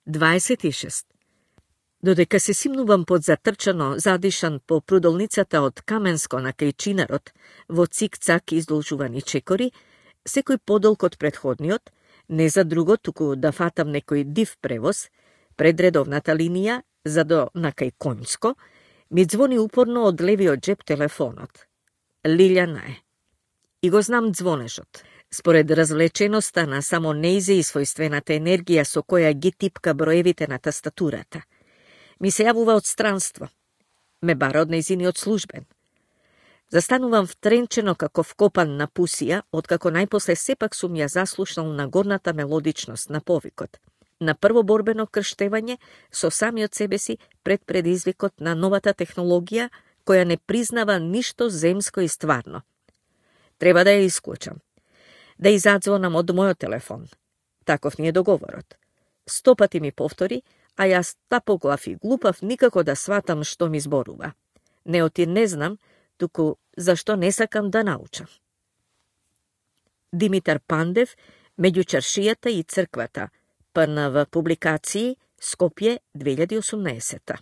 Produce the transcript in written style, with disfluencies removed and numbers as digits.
26. Додека се симнувам под затрчано, задишан по прудолницата од Каменско на Кајчинарот во цик-цак издолжувани чекори, секој подолг од предходниот, не за друго, туку да фатам некој див превоз, пред редовната линија, за до на кај Конјско, ми звони упорно од левиот джеп телефонот. Лилјана е. И го знам звонежот. Според развлеченоста на само неизе и својствената енергија со која ги типка броевите на тастатурата. Ми се јавува од странство. Ме бара од нејзиниот службен. Застанувам втренчено како вкопан на пусија, откако најпосле сепак сум ја заслушнал на горната мелодичност на повикот. На прво борбено крштевање со самиот себе си пред предизвикот на новата технологија која не признава ништо земско и стварно. Треба да ја исклучам. Да изадзвонам од мојот телефон. Таков ни е договорот. 100 пати ми повтори, а јас тапоглав и глупав никако да сватам што ми зборува. Неотир не знам, туку зашто не сакам да научам. Димитар Пандев, меѓу чаршијата и црквата, ПНВ публикации, Скопје, 2018.